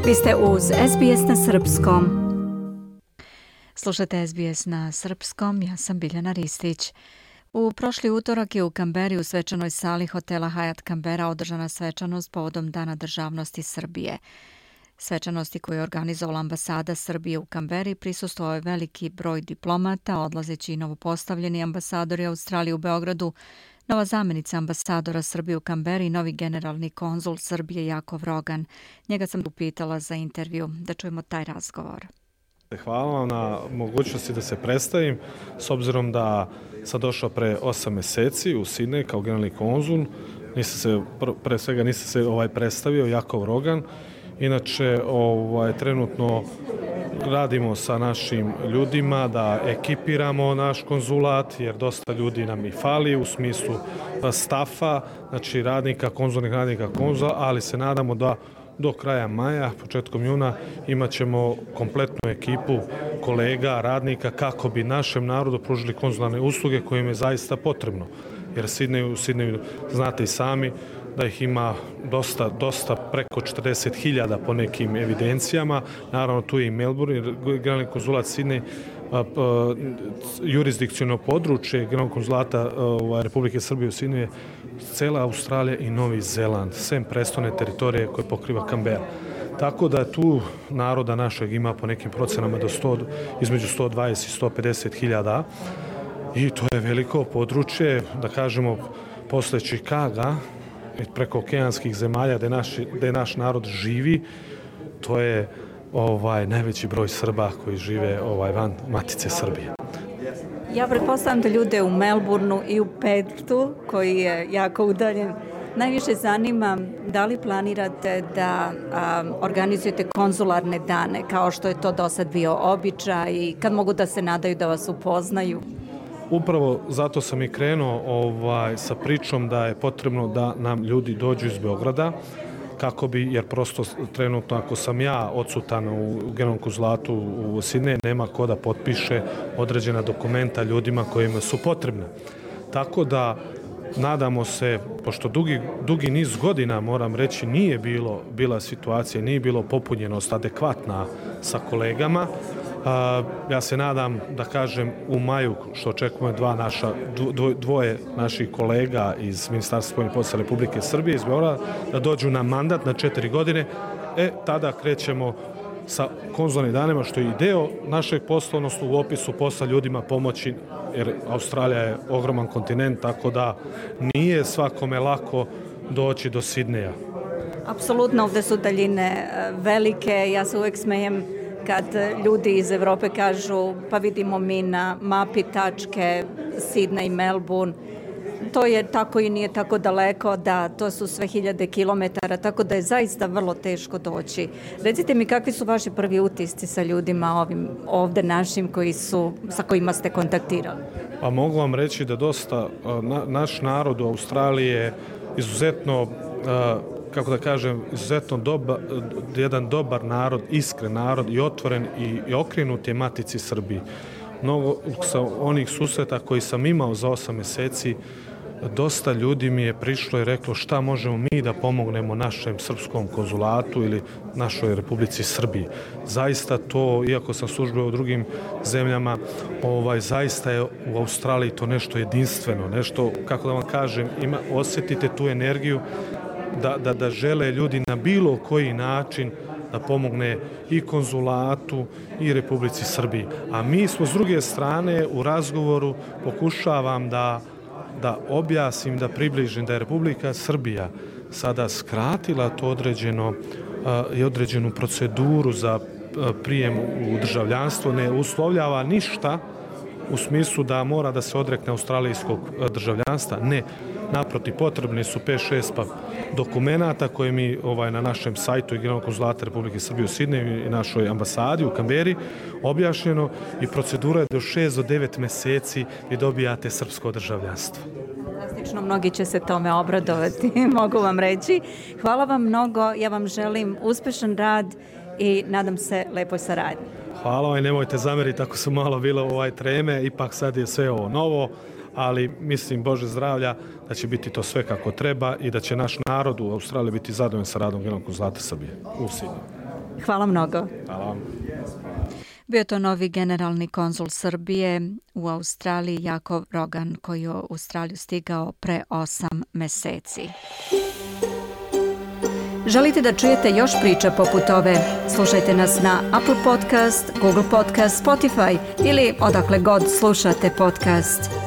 Vi ste uz SBS na Srpskom. Slušate SBS na Srpskom, ja sam Biljana Ristić. U prošli utorak je u Kamberi u svečanoj sali hotela Hyatt Kambera održana svečanost povodom Dana državnosti Srbije. Svečanosti koju je organizovala ambasada Srbije u Kamberi prisustvovao je veliki broj diplomata, odlazeći i novopostavljeni ambasadori Australije u Beogradu, nova zamjenica ambasadora Srbije u Kamberi i novi generalni konzul Srbije Jakov Rogan. Njega sam upitala za intervju, da čujemo taj razgovor. Hvala vam na mogućnosti da se predstavim, s obzirom da sam došao pre 8 mjeseci u Sidnej kao generalni konzul. Pre svega nisam se predstavio, Jakov Rogan. Inače, trenutno radimo sa našim ljudima da ekipiramo naš konzulat, jer dosta ljudi nam i fali u smislu stafa, znači konzulnih radnika konzula, ali se nadamo da do kraja maja, početkom juna, imat ćemo kompletnu ekipu kolega, radnika, kako bi našem narodu pružili konzularne usluge koje im je zaista potrebno. Jer u Sidneju znate i sami da ih ima dosta, preko 40.000 po nekim evidencijama. Naravno, tu je i Melbourne, generalni konzulat Sidnej, jurisdikciono područje generalnog konzulata Republike Srbije u Sidneju je cela Australija i Novi Zeland, sem prestone teritorije koje pokriva Kambera. Tako da tu naroda našeg ima po nekim procenama između 120 i 150.000 i to je veliko područje, da kažemo, posle Čikaga, preko okeanskih zemalja gde naš narod živi, to je najveći broj Srba koji žive van Matice Srbije. Ja pretpostavljam da ljude u Melbourneu i u Perthu, koji je jako udaljen, najviše zanima da li planirate da organizujete konzularne dane, kao što je to do sad bio običaj i kad mogu da se nadaju da vas upoznaju? Upravo zato sam i krenuo sa pričom da je potrebno da nam ljudi dođu iz Beograda, jer prosto trenutno ako sam ja odsutan u generalnom konzulatu u Sidneju, nema ko da potpiše određena dokumenta ljudima kojima su potrebne. Tako da nadamo se, pošto dugi niz godina, moram reći, nije bila situacija, nije bilo popunjenost adekvatna sa kolegama. Ja se nadam, da kažem, u maju, što očekujemo dvoje naših kolega iz Ministarstva spoljnih poslova Republike Srbije iz Beograda, da dođu na mandat na 4 godine, tada krećemo sa konzularnim danima, što je i deo našeg posla, odnosno u opisu posla ljudima pomoći, jer Australija je ogroman kontinent, tako da nije svakome lako doći do Sidneja. Apsolutno, ovde su daljine velike, ja se uvek smejem kad ljudi iz Evrope kažu pa vidimo mi na mapi tačke Sidney i Melbourne, to je tako i nije tako daleko, da to su sve 1000 kilometara, tako da je zaista vrlo teško doći. Recite mi, kakvi su vaši prvi utisci sa ljudima ovde našim sa kojima ste kontaktirali? Pa mogu vam reći da dosta naš narod u Australiji je izuzetno kako da kažem, izuzetno jedan dobar narod, iskren narod i otvoren i okrenut je Matici Srbiji. Mnogo sa onih susreta koji sam imao za 8 mjeseci, dosta ljudi mi je prišlo i reklo šta možemo mi da pomognemo našem srpskom konzulatu ili našoj Republici Srbiji. Zaista to, iako sam službeo u drugim zemljama, zaista je u Australiji to nešto jedinstveno, nešto, kako da vam kažem, osjetite tu energiju da žele ljudi na bilo koji način da pomogne i konzulatu i Republici Srbiji. A mi smo s druge strane u razgovoru pokušavam da objasnim, da približim da je Republika Srbija sada skratila to određenu proceduru za prijem u državljanstvo, ne uslovljava ništa u smislu da mora da se odrekne australijskog državljanstva. Ne, naprotiv, potrebni su 5-6 dokumenata koje mi na našem sajtu i generalnog konzulata Republike Srbije u Sidneju i našoj ambasadi u Kamberi objašnjeno i procedura je do 6 do 9 mjeseci i dobijate srpsko državljanstvo. Fantastično, mnogi će se tome obradovati, mogu vam reći. Hvala vam mnogo, ja vam želim uspešan rad i nadam se lepoj saradnji. Hvala vam i nemojte zameriti ako su malo bile treme, ipak sad je sve ovo novo, ali mislim, Bože zdravlja, da će biti to sve kako treba i da će naš narod u Australiji biti zadovoljan sa radom generalnog konzulata Srbije u Sidneju. Hvala mnogo. Hvala vam. Bio je to novi generalni konzul Srbije u Australiji, Jakov Rogan, koji je u Australiju stigao pre 8 meseci. Želite da čujete još priča poput ove? Slušajte nas na Apple Podcast, Google Podcast, Spotify ili odakle god slušate podcast.